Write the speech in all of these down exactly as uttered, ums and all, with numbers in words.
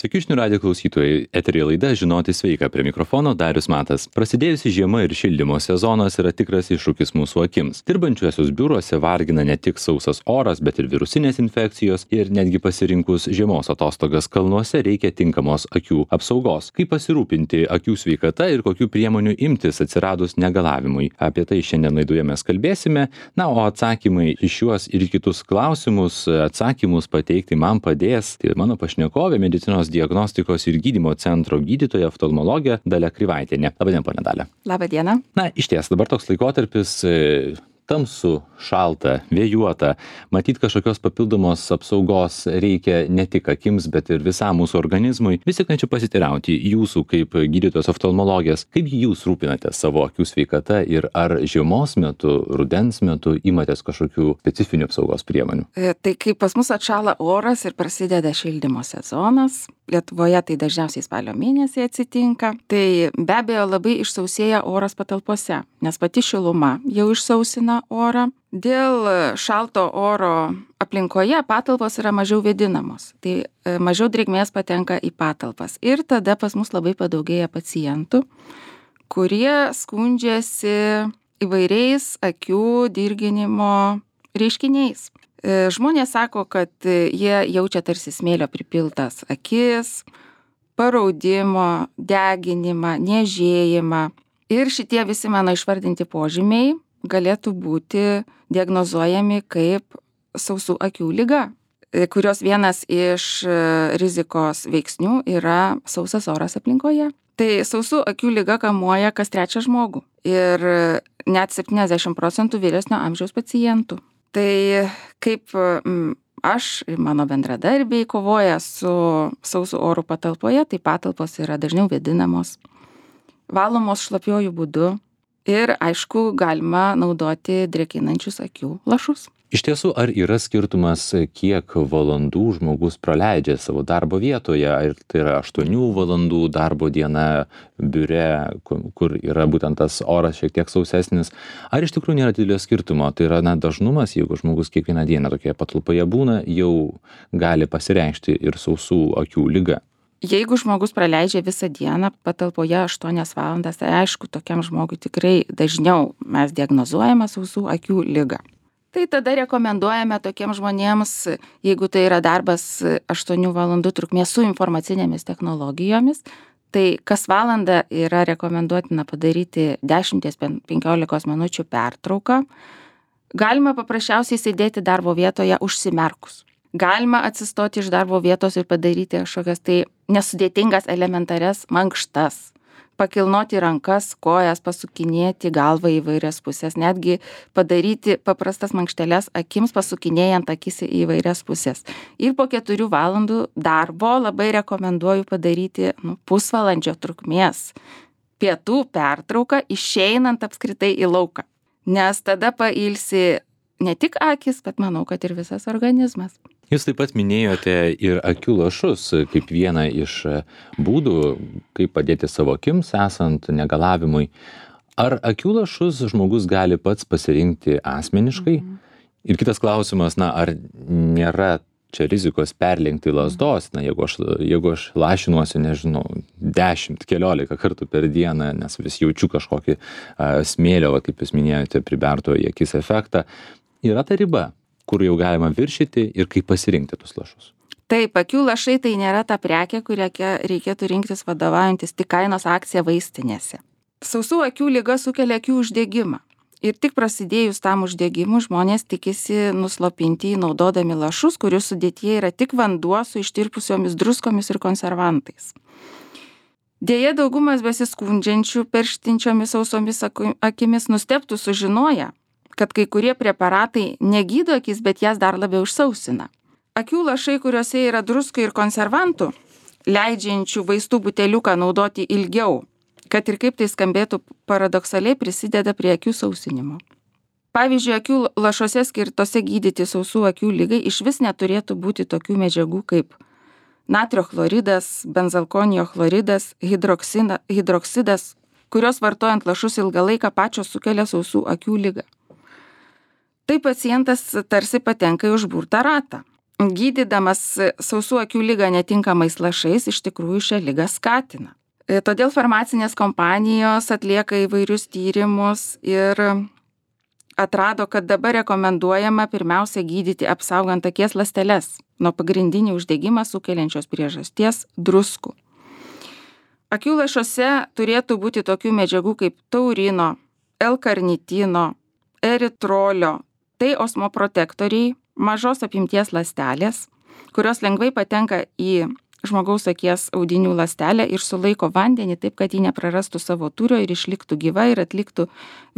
Sveiki žinių radijo klausytojai, eteryje laida Žinoti sveika, prie mikrofono Darius Matas. Prasidėjusi žiema ir šildymo sezonas yra tikras iššūkis mūsų akims. Dirbančiuosius biuruose vargina ne tik sausas oras, bet ir virusinės infekcijos ir netgi pasirinkus žiemos atostogas kalnuose reikia tinkamos akių apsaugos. Kaip pasirūpinti akių sveikata ir kokių priemonių imtis atsiradus negalavimui. Apie tai šiandien laidoje mes kalbėsime. Na, o atsakymai į šiuos ir kitus klausimus, atsakymus pateikti man padės tai mano pašnekovė, medicinos diagnostikos ir gydymo centro gydytoja oftalmologė Dalia Krivaitienė. Labadiena, ponia Dalia. Labadiena. Na, išties, dabar toks laikotarpis tamsu, šalta, vėjuota. Matyt, kažkokios papildomos apsaugos reikia ne tik akims, bet ir visam mūsų organizmui. Vis tik norėčiau pasiteirauti jūsų kaip gydytojos oftalmologės, kaip jūs rūpinate savo akių sveikata ir ar žiemos metu, rudens metu imatės kažkokių specifinių apsaugos priemonių? Tai kai pas mus atšąla oras ir prasideda šildymo sezonas, Lietuvoje tai dažniausiai spalio mėnesį atsitinka, tai be abejo labai išsausėja oras patalpose, nes pati šiluma jau išsausina orą. Dėl šalto oro aplinkoje patalpos yra mažiau vėdinamos, tai mažiau drėgmės patenka į patalpas. Ir tada pas mus labai padaugėja pacientų, kurie skundžiasi įvairiais akių dirginimo reiškiniais. Žmonės sako, kad jie jaučia tarsi smėlio pripiltas akis, paraudimo, deginimą, niežėjimą. Ir šitie visi mano išvardinti požymiai galėtų būti diagnozuojami kaip sausų akių liga, kurios vienas iš rizikos veiksnių yra sausas oras aplinkoje. Tai sausų akių liga kamuoja kas trečią žmogų ir net septyniasdešimt procentų vyresnio amžiaus pacientų. Tai kaip aš ir mano bendradarbiai kovoja su sausu oru patalpoje, tai patalpos yra dažniau vėdinamos, valomos šlapiuoju būdu ir aišku galima naudoti drėkinančius akių lašus. Iš tiesų, ar yra skirtumas, kiek valandų žmogus praleidžia savo darbo vietoje? Ar tai yra aštuonių valandų darbo diena biure, kur yra būtent tas oras šiek tiek sausesnis? Ar iš tikrųjų nėra didelio skirtumo? Tai yra na, dažnumas, jeigu žmogus kiekvieną dieną tokioje patalpoje būna, jau gali pasireikšti ir sausų akių liga. Jeigu žmogus praleidžia visą dieną patalpoje aštuonias valandas, tai aišku, tokiam žmogui tikrai dažniau mes diagnozuojame sausų akių ligą. Tai tada rekomenduojame tokiems žmonėms, jeigu tai yra darbas aštuonių valandų trukmės su informacinėmis technologijomis, tai kas valandą yra rekomenduotina padaryti dešimt penkiolikos minučių pertrauką. Galima paprasčiausiai sėdėti darbo vietoje užsimerkus. Galima atsistoti iš darbo vietos ir padaryti kažkokias tai nesudėtingas elementarias mankštas. Pakilnoti rankas, kojas, pasukinėti galvą į įvairias pusės, netgi padaryti paprastas mankšteles akims, pasukinėjant akis į įvairias pusės. Ir po keturių valandų darbo labai rekomenduoju padaryti nu, pusvalandžio trukmės pietų pertrauką, išeinant apskritai į lauką. Nes tada pailsi ne tik akis, bet manau, kad ir visas organizmas. Jūs taip pat minėjote ir akių lašus kaip vieną iš būdų, kaip padėti savo akims esant negalavimui. Ar akių lašus žmogus gali pats pasirinkti asmeniškai? Mhm. Ir kitas klausimas, na, ar nėra čia rizikos perlenkti lazdos, na, jeigu aš, jeigu aš lašinuosi, nežinau, dešimt, keliolika kartų per dieną, nes vis jaučiu kažkokį a, smėlio, va, kaip jūs minėjote, priberto į akis efektą, yra ta riba, kur jau galima viršyti ir kaip pasirinkti tus lašus. Taip, akių lašai tai nėra ta prekė, kurią reikėtų rinktis vadovaujantis tik kainos akcija vaistinėse. Sausų akių liga sukelia akių uždegimą. Ir tik prasidėjus tam uždegimui žmonės tikisi nuslopinti naudodami lašus, kurių sudėtyje yra tik vanduo su ištirpusiomis druskomis ir konservantais. Deja, daugumas besiskundžiančių perštinčiomis sausomis akimis nustebtų sužinoję, kad kai kurie preparatai negydo akis, bet jas dar labiau išsausina. Akių lašai, kuriuose yra druskų ir konservantų, leidžiančių vaistų buteliuką naudoti ilgiau, kad ir kaip tai skambėtų paradoksaliai, prisideda prie akių sausinimo. Pavyzdžiui, akių lašuose skirtose gydyti sausų akių ligai išvis neturėtų būti tokių medžiagų kaip natrio chloridas, benzalkonijo chloridas, hidroksidas, kurios vartojant lašus ilgą laiką pačios sukelia sausų akių ligą. Tai pacientas tarsi patenka į užburtą ratą. gydydamas sausų akių ligą netinkamais lašais iš tikrųjų šią ligą skatina. Todėl farmacinės kompanijos atlieka įvairius tyrimus ir atrado, kad dabar rekomenduojama pirmiausia gydyti apsaugant akies ląsteles nuo pagrindinį uždegimą sukeliančios priežasties druskų. Akių lašuose turėtų būti tokių medžiagų kaip taurino, L-karnitino, eritrolio, tai osmoprotektoriai, mažos apimties ląstelės, kurios lengvai patenka į žmogaus akies audinių ląstelę ir sulaiko vandenį taip, kad ji neprarastų savo tūrio ir išliktų gyva ir atliktų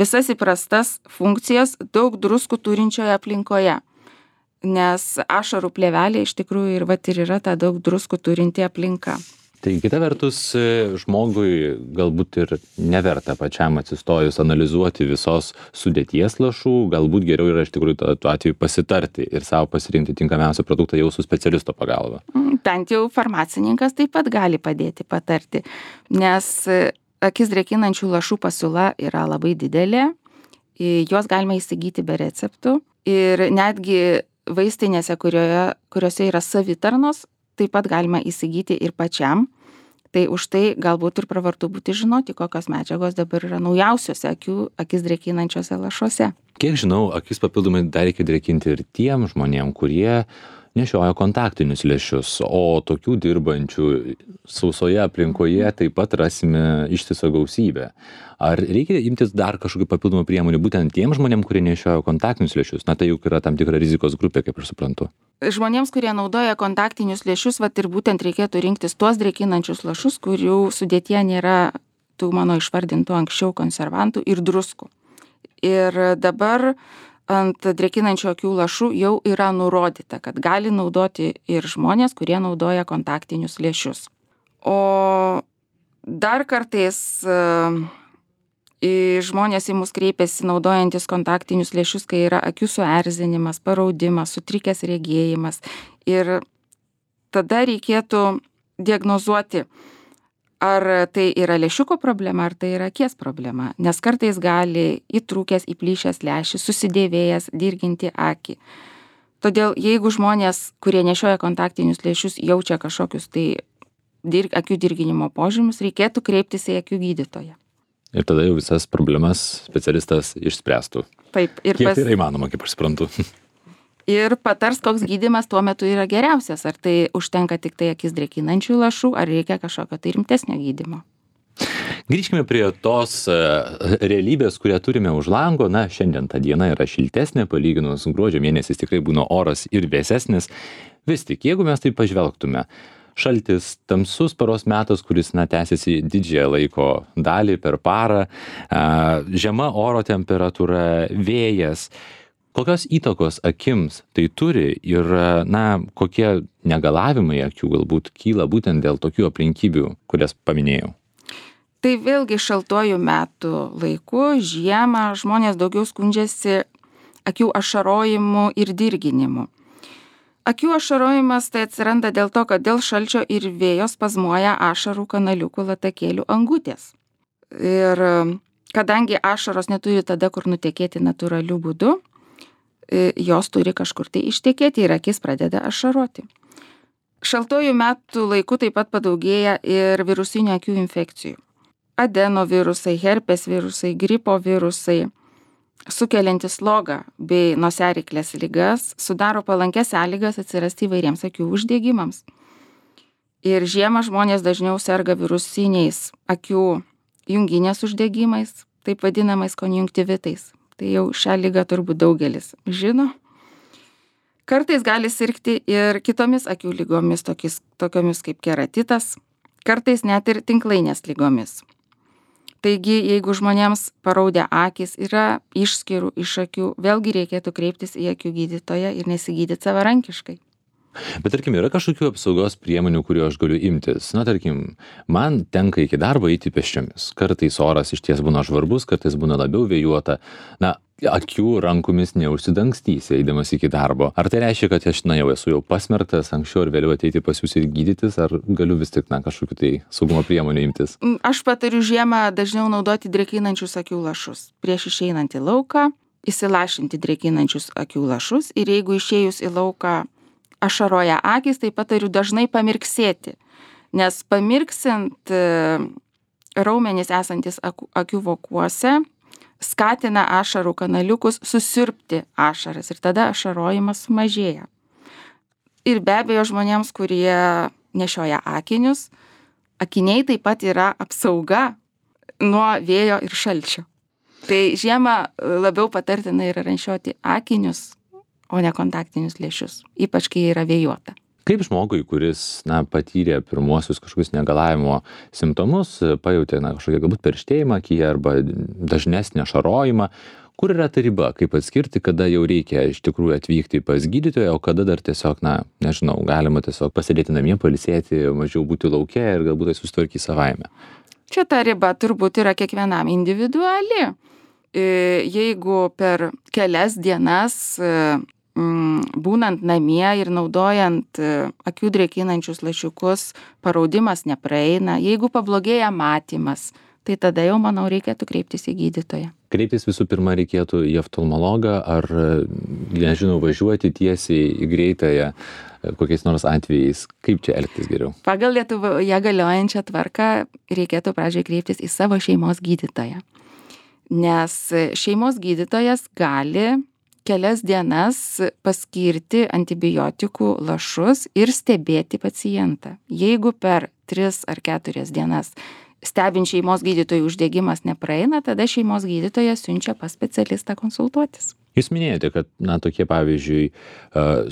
visas įprastas funkcijas daug druskų turinčioje aplinkoje. Nes ašarų plėvelė iš tikrųjų ir, vat, ir yra ta daug druskų turinti aplinka. Tai kita vertus, žmogui galbūt ir neverta pačiam atsistojus analizuoti visos sudėties lašų, galbūt geriau yra iš tikrųjų tuo atveju pasitarti ir savo pasirinkti tinkamiausią produktą jau su specialisto pagalba. Bent jau farmacininkas taip pat gali padėti patarti, nes akis drėkinančių lašų pasiūla yra labai didelė, juos galima įsigyti be receptų ir netgi vaistinėse, kurioje, kuriuose yra savitarnos, taip pat galima įsigyti ir pačiam. Tai už tai galbūt ir pravartu būti žinoti, kokios medžiagos dabar yra naujausiuose akių, akis drėkinančiuose lašuose. Kiek žinau, akis papildomai dar reikia drėkinti ir tiem žmonėm, kurie nešioja kontaktinius lęšius, o tokių dirbančių sausoje aplinkoje taip pat rasime ištisą gausybę. Ar reikia imtis dar kažkokių papildomų priemonių būtent tiem žmonėm, kurie nešioja kontaktinius lęšius? Na tai juk yra tam tikra rizikos grupė, kaip aš suprantu. Žmonėms, kurie naudoja kontaktinius lęšius, vat ir būtent reikėtų rinktis tuos drėkinančius lašus, kurių sudėtyje nėra tų mano išvardintų anksčiau konservantų ir druskų. Ir dabar ant drėkinančių akių lašų jau yra nurodyta, kad gali naudoti ir žmonės, kurie naudoja kontaktinius lęšius. O dar kartais į žmonės į mus kreipiasi naudojantis kontaktinius lęšius, kai yra akių suerzinimas, paraudimas, sutrikęs regėjimas. Ir tada reikėtų diagnozuoti, ar tai yra lęšiuko problema, ar tai yra akies problema. Nes kartais gali įtrūkęs, įplyšęs lęšis, susidėvėjęs, dirginti akį. Todėl jeigu žmonės, kurie nešioja kontaktinius lęšius, jaučia kažkokius tai dir, akių dirginimo požymius, reikėtų kreiptis į akių gydytoją. Ir tada jau visas problemas specialistas išspręstų. Taip. Ir Kiek pas... tai yra įmanoma, kaip aš suprantu. Ir patars, koks gydymas tuo metu yra geriausias. Ar tai užtenka tik tai akis drėkinančių lašų, ar reikia kažkokio tai rimtesnio gydymo. Grįžkime prie tos realybės, kurią turime už lango. Na, šiandien ta diena yra šiltesnė, palyginus gruodžio mėnesis tikrai būna oras ir vėsesnis. Vis tik, jeigu mes tai pažvelgtume, šaltis, tamsus paros metas, kuris, na, tęsiasi didžiąją laiko dalį per parą, žema oro temperatūra, vėjas. Kokios įtakos akims tai turi ir, na, kokie negalavimai akių galbūt kyla būtent dėl tokių aplinkybių, kurias paminėjau? Tai vėlgi šaltuoju metų laiku, žiemą, žmonės daugiau skundžiasi akių ašarojimu ir dirginimu. Akių ašarojimas tai atsiranda dėl to, kad dėl šalčio ir vėjo spazmuoja ašarų kanaliukų latakėlių angutės. Ir kadangi ašaros neturi tada, kur nutekėti natūraliu būdu, jos turi kažkur tai ištekėti ir akis pradeda ašaroti. Šaltuoju metų laiku taip pat padaugėja ir virusinių akių infekcijų. Adenovirusai, herpes virusai, gripo virusai, sukeliantis slogą bei nosiaryklės ligas, sudaro palankes sąlygas atsirasti įvairiems akių uždegimams. Ir žiemą žmonės dažniau serga virusiniais akių junginės uždegimais, taip vadinamais konjunktivitais. Tai jau šią ligą turbūt daugelis žino. Kartais gali sirgti ir kitomis akių lygomis, tokiais, tokiomis kaip keratitas, kartais net ir tinklainės lygomis. Taigi, jeigu žmonėms paraudę akys yra išskyrų iš akių, vėlgi reikėtų kreiptis į akių gydytoją ir nesigydyti savarankiškai. Bet tarkim, yra kažkokių apsaugos priemonių, kurių aš galiu imtis. Na, tarkim, man tenka iki darbo eiti pėsčiomis. Kartais oras iš ties būna žvarbus, kartais būna labiau vėjuota. Na, akių rankomis neužsidangstysi eidamas iki darbo. Ar tai reiškia, kad aš, na, jau esu jau pasmerktas anksčiau ar vėliau ateiti pas jūs ir gydytis, ar galiu vis tik, na, kažkokių tai saugumo priemonių imtis? Aš patariu žiemą dažniau naudoti drėkinančius akių lašus. Prieš išeinant į lauką, įsilašinti drėkinančius akių lašus ir jeigu išėjus į lauką ašaroja akys, tai patariu dažnai pamirksėti, nes pamirksint raumenys esantis akių vokuose skatina ašarų kanaliukus susiurbti ašaras ir tada ašarojimas sumažėja. Ir be abejo žmonėms, kurie nešioja akinius, akiniai taip pat yra apsauga nuo vėjo ir šalčio. Tai žiemą labiau patartina yra nešioti akinius, o ne kontaktinius lęšius, ypač kai yra vėjuota. Kaip žmogui, kuris na, patyrė pirmuosius kažkokius negalavimo simptomus, pajutė na, kažkokią galbūt perštėjimą akyje arba dažnesnį ašarojimą, kur yra ta riba, kaip atskirti, kada jau reikia iš tikrųjų atvykti pas gydytoją, o kada dar tiesiog, na, nežinau, galima tiesiog pasėdėti namie, pailsėti, mažiau būti lauke ir galbūt tai susitvarkyti savaime. Čia ta riba turbūt yra kiekvienam individuali. Jeigu per kelias dienas būnant namie ir naudojant akių drėkinančius lašiukus, paraudimas nepraeina. Jeigu pablogėja matymas, tai tada jau, manau, reikėtų kreiptis į gydytoją. Kreiptis visų pirma reikėtų į oftalmologą ar, nežinau, važiuoti tiesiai į greitąją kokiais nors atvejais. Kaip čia elgtis geriau? Pagal Lietuvoje galiojančią tvarką reikėtų pradžioje kreiptis į savo šeimos gydytoją. Nes šeimos gydytojas gali kelias dienas paskirti antibiotikų lašus ir stebėti pacientą. Jeigu per tris ar keturias dienas stebint šeimos gydytojų uždegimas nepraeina, tada šeimos gydytojas siunčia pas specialistą konsultuotis. Jūs minėjote, kad na, tokie pavyzdžiui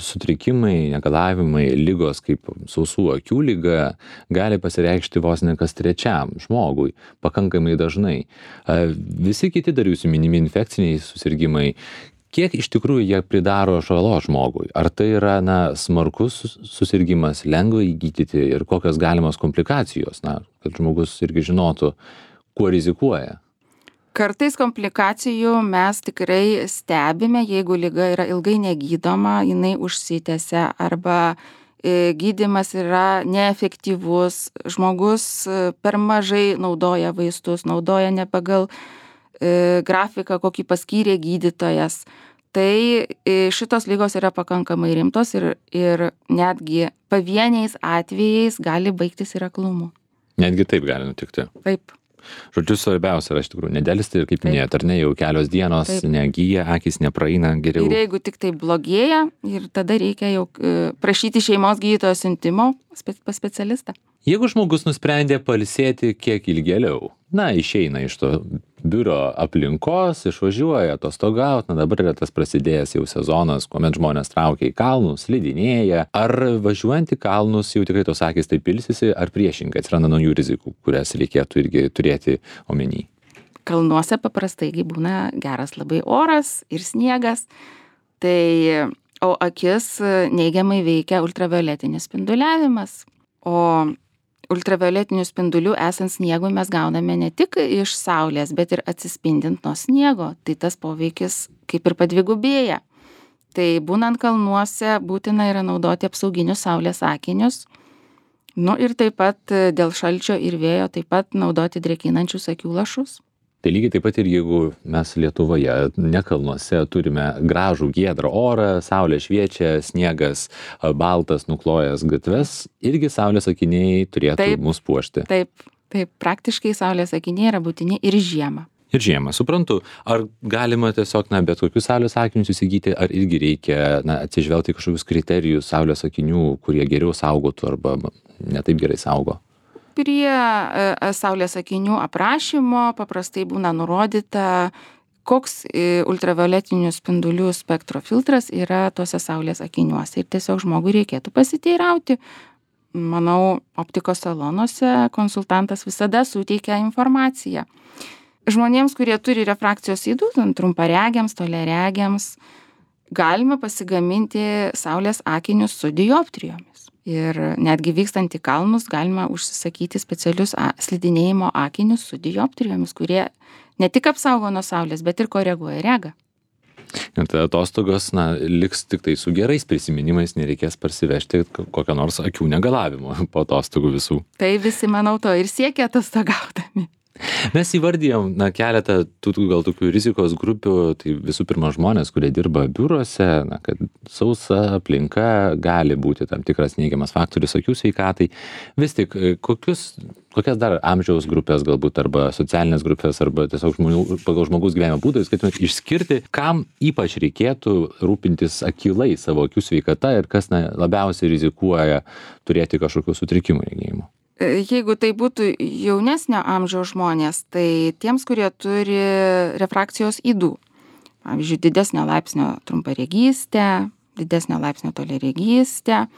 sutrikimai, negalavimai, ligos kaip sausų akių liga gali pasireikšti vos ne kas trečiam žmogui, pakankamai dažnai. Visi kiti dar jūsų minimi infekciniai susirgimai, kiek iš tikrųjų jie pridaro žalos žmogui? Ar tai yra na, smarkus susirgimas, lengva įgydyti ir kokios galimos komplikacijos, na, kad žmogus irgi žinotų, kuo rizikuoja? Kartais komplikacijų mes tikrai stebime, jeigu liga yra ilgai negydoma, jinai užsitęsia arba gydymas yra neefektyvus, žmogus per mažai naudoja vaistus, naudoja ne pagal grafiką, kokį paskyrė gydytojas. Tai šitos ligos yra pakankamai rimtos ir, ir netgi pavieniais atvejais gali baigtis ir aklumu. Netgi taip gali nutikti. Taip. Žodžiu, svarbiausia yra iš tikrųjų nedėlisti ir kaip minėjot, ar ne, jau kelios dienos taip. Negyja, akys nepraeina geriau. Ir jeigu tik tai blogėja, ir tada reikia jau prašyti šeimos gydytojo siuntimo pas specialistą. Jeigu žmogus nusprendė pailsėti kiek ilgėliau, na, išeina iš to biuro aplinkos, išvažiuoja atostogauti, na dabar yra tas prasidėjęs jau sezonas, kuomet žmonės traukia į kalnus, slidinėja, ar važiuojant į kalnus jau tikrai tos akys taip ilsisi, ar priešingai atsiranda naujų rizikų, kurias reikėtų irgi turėti omeny? Kalnuose paprastai būna geras labai oras ir sniegas, tai, o akis neigiamai veikia ultravioletinis spinduliavimas, o ultravioletinių spindulių esant sniegui mes gauname ne tik iš saulės, bet ir atsispindint nuo sniego, tai tas poveikis kaip ir padvigubėja. Tai būnant kalnuose būtina yra naudoti apsauginius saulės akinius, nu ir taip pat dėl šalčio ir vėjo taip pat naudoti drėkinančius akių lašus. Tai lygiai taip pat ir jeigu mes Lietuvoje, ne kalnuose, turime gražų giedrą orą, saulė šviečia, sniegas baltas nuklojęs gatves, irgi saulės akiniai turėtų taip, mus puošti. Taip, taip, praktiškai saulės akiniai yra būtini ir žiemą. Ir žiemą, suprantu. Ar galima tiesiog, na, bet kokius saulės akinius įsigyti, ar irgi reikia, na, atsižvelgti kažkokius kriterijus saulės akinių, kurie geriau saugotų arba ne taip gerai saugo? Prie saulės akinių aprašymo paprastai būna nurodyta, koks ultravioletinių spindulių spektro filtras yra tuose saulės akiniuose. Ir tiesiog žmogui reikėtų pasiteirauti. Manau, optikos salonuose konsultantas visada suteikia informaciją. Žmonėms, kurie turi refrakcijos ydų, trumparegiams, toliaregiams, galima pasigaminti saulės akinius su dioptrijomis. Ir netgi vykstant į kalnus galima užsisakyti specialius slidinėjimo akinius su dioptrijomis, kurie ne tik apsaugo nuo saulės, bet ir koreguoja regą. Ir tai atostogos, na, liks tik tai su gerais prisiminimais, nereikės parsivežti kokio nors akių negalavimo po atostogų visų. Tai visi, manau, to ir siekia atostogaudami. Mes įvardijom, na, keletą tų, tų gal tokių rizikos grupių, tai visų pirma žmonės, kurie dirba biuruose, na, kad sausa aplinka gali būti tam tikras neigiamas faktorius akių sveikatai. Vis tik, kokius, kokias dar amžiaus grupės galbūt, arba socialinės grupės, arba tiesiog žmonių, pagal žmogus gyvenimo būdą, jūs skaitumėt išskirti, kam ypač reikėtų rūpintis akylai savo akių sveikata ir kas na, labiausiai rizikuoja turėti kažkokių sutrikimų regėjimo. Jeigu tai būtų jaunesnio amžiaus žmonės, tai tiems, kurie turi refrakcijos ydų, pavyzdžiui, didesnio laipsnio trumparegystę, didesnio laipsnio toliaregystę,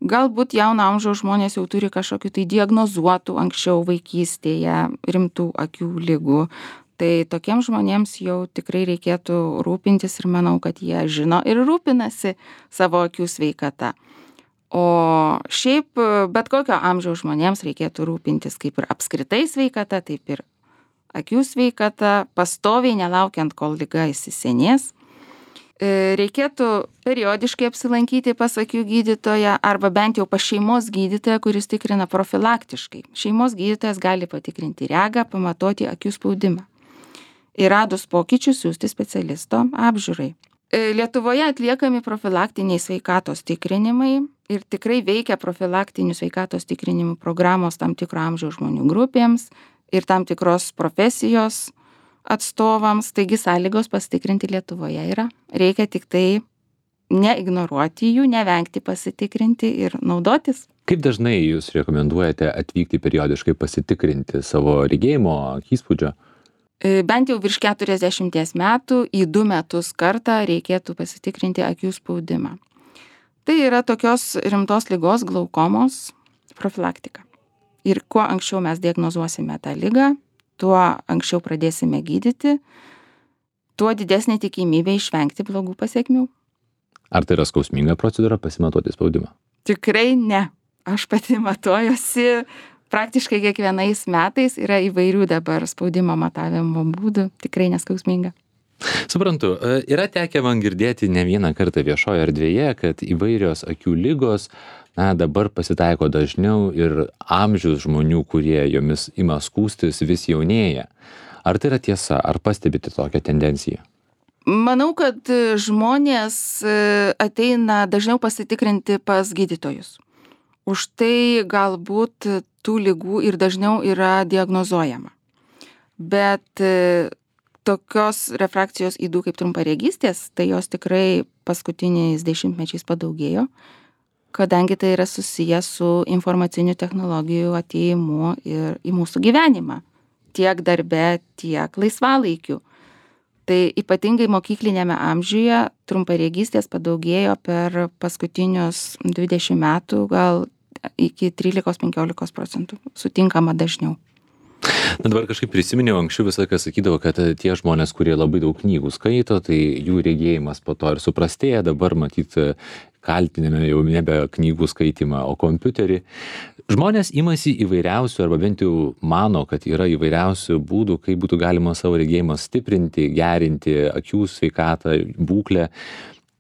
galbūt jauno amžiaus žmonės jau turi kažkokių tai diagnozuotų anksčiau vaikystėje rimtų akių ligų, tai tokiems žmonėms jau tikrai reikėtų rūpintis ir manau, kad jie žino ir rūpinasi savo akių sveikata. O šiaip bet kokio amžiaus žmonėms reikėtų rūpintis kaip ir apskritai sveikata, taip ir akių sveikata, pastoviai nelaukiant, kol liga įsisenės. Reikėtų periodiškai apsilankyti pas akių gydytoją arba bent jau pas šeimos gydytoją, kuris tikrina profilaktiškai. Šeimos gydytojas gali patikrinti regą, pamatuoti akių spaudimą. Ir radus pokyčius siųsti specialisto apžiūrai. Lietuvoje atliekami profilaktiniai sveikatos tikrinimai ir tikrai veikia profilaktinių sveikatos tikrinimų programos tam tikro amžiaus žmonių grupėms ir tam tikros profesijos atstovams, taigi sąlygos pasitikrinti Lietuvoje yra. Reikia tik tai neignoruoti jų, nevengti pasitikrinti ir naudotis. Kaip dažnai jūs rekomenduojate atvykti periodiškai pasitikrinti savo regėjimo įspūdžio? Bent jau virš keturiasdešimties metų į du metus kartą reikėtų pasitikrinti akių spaudimą. Tai yra tokios rimtos ligos glaukomos profilaktika. Ir kuo anksčiau mes diagnozuosime tą ligą, tuo anksčiau pradėsime gydyti, tuo didesnė tikimybė išvengti blogų pasekmių. Ar tai yra skausminga procedūra pasimatuoti spaudimą? Tikrai ne. Aš pati matuojuosi. Praktiškai kiekvienais metais yra įvairių dabar spaudimo matavimo būdų, tikrai neskausminga. Suprantu, yra tekę man girdėti ne vieną kartą viešoje erdvėje, kad įvairios akių ligos na, dabar pasitaiko dažniau ir amžius žmonių, kurie jomis ima skųstis, vis jaunėja. Ar tai yra tiesa, ar pastebite tokią tendenciją? Manau, kad žmonės ateina dažniau pasitikrinti pas gydytojus. Už tai galbūt tų ligų ir dažniau yra diagnozuojama. Bet tokios refrakcijos ydų kaip trumparegystės, tai jos tikrai paskutiniais dešimtmečiais padaugėjo, kadangi tai yra susiję su informacinių technologijų atėjimu ir į mūsų gyvenimą, tiek darbe, tiek laisvalaikiu. Tai ypatingai mokyklinėme amžiuje trumparegystės padaugėjo per paskutinius dvidešimt metų, gal iki trylikos penkiolikos procentų sutinkama dažniau. Na dabar kažkaip prisiminiau, anksčiau visą laiką sakydavo, kad tie žmonės, kurie labai daug knygų skaito, tai jų regėjimas po to ir suprastėja, dabar matyt kaltiname jau nebe knygų skaitimą, o kompiuterį. Žmonės imasi įvairiausių, arba bent jau mano, kad yra įvairiausių būdų, kaip būtų galima savo regėjimą stiprinti, gerinti akių sveikatą, būklę.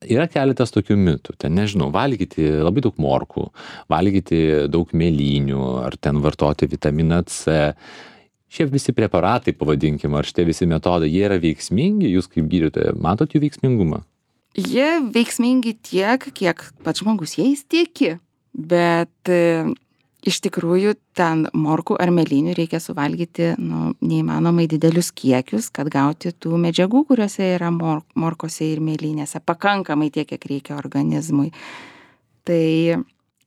Yra keletas tokių mitų, ten nežinau, valgyti labai daug morkų, valgyti daug mėlynių, ar ten vartoti vitaminą C. Šie visi preparatai, pavadinkim, ar šitie visi metodai, jie yra veiksmingi, jūs kaip gydytoja matot jų veiksmingumą? Jie veiksmingi tiek, kiek pats žmogus jais tiki, bet e, iš tikrųjų ten morkų ar mėlynių reikia suvalgyti nu, neįmanomai didelius kiekius, kad gauti tų medžiagų, kuriuose yra mor morkose ir mėlynėse, pakankamai tiek, kiek reikia organizmui. Tai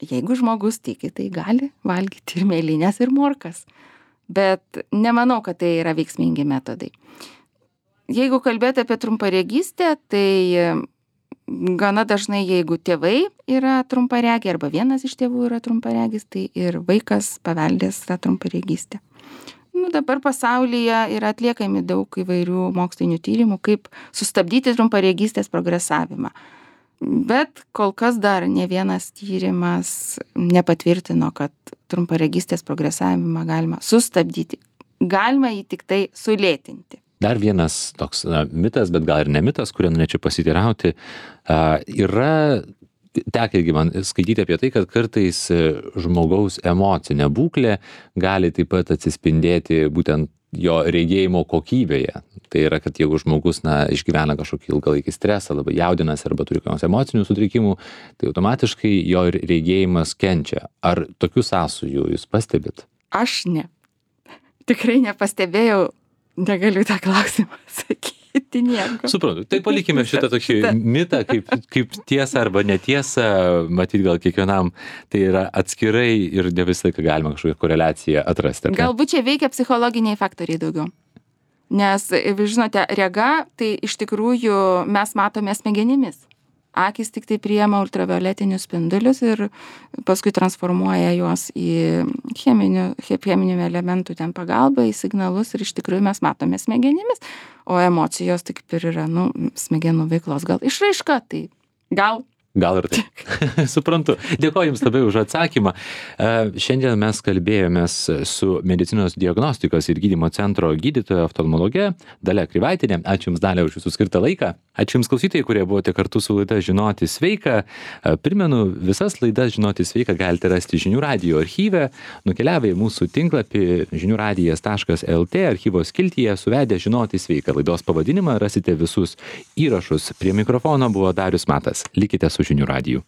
jeigu žmogus tiki, tai gali valgyti ir mėlynės, ir morkas. Bet nemanau, kad tai yra veiksmingi metodai. Jeigu kalbėti apie trumparegystę, tai gana dažnai, jeigu tėvai yra trumparegiai arba vienas iš tėvų yra trumparegis, tai ir vaikas paveldės tą trumparegystę. Nu, dabar pasaulyje yra atliekami daug įvairių mokslinių tyrimų, kaip sustabdyti trumparegystės progresavimą. Bet kol kas dar ne vienas tyrimas nepatvirtino, kad trumparegystės progresavimą galima sustabdyti. Galima jį tik tai sulėtinti. Dar vienas toks na, mitas, bet gal ir ne mitas, kurį norėčiau pasiteirauti, uh, yra tekę irgi man skaityti apie tai, kad kartais žmogaus emocinė būklė gali taip pat atsispindėti būtent jo regėjimo kokybėje. Tai yra, kad jeigu žmogus, na, išgyvena kažkokį ilgalaikį stresą, labai jaudinasi arba turi kokių emocinių sutrikimų, tai automatiškai jo regėjimas kenčia. Ar tokių sąsajų jūs pastebit? Aš ne. Tikrai nepastebėjau, negaliu tą klausimą sakyti nieko. Suprantu. Tai palikime šitą tokį mitą, kaip, kaip tiesą arba netiesą, matyt, gal kiekvienam tai yra atskirai ir ne visą laiką galima kažkokią koreliaciją atrasti. Galbūt čia veikia psichologiniai faktoriai daugiau. Nes, žinote, rega, tai iš tikrųjų mes matome smegenimis. Akys tik tai priima ultravioletinius spindulius ir paskui transformuoja juos į cheminių, cheminių elementų ten pagalbą, į signalus ir iš tikrųjų mes matome smegenimis. O emocijos tik ir yra, nu, smegenų veiklos gal išraiška, tai gal. Gal ir taip. Suprantu. Dėkoju Jums labai už atsakymą. Šiandien mes kalbėjomės su medicinos diagnostikos ir gydymo centro gydytoja oftalmologe Dalia Krivaitinė. Ačiū Jums, Dalia, už Jūsų skirtą laiką. Ačiū Jums, klausytojai, kurie buvote kartu su laida Žinoti sveika. Primenu, visas laidas Žinoti sveika galite rasti žinių radijo archyve. Nukeliavę į mūsų tinklapį žinių radijas taškas lt archyvo skiltyje suvedę Žinoti sveika. Laidos pavadinimą rasite visus įrašus. Prie mikrofono buvo Darius Matas. Likite su žinių radiju.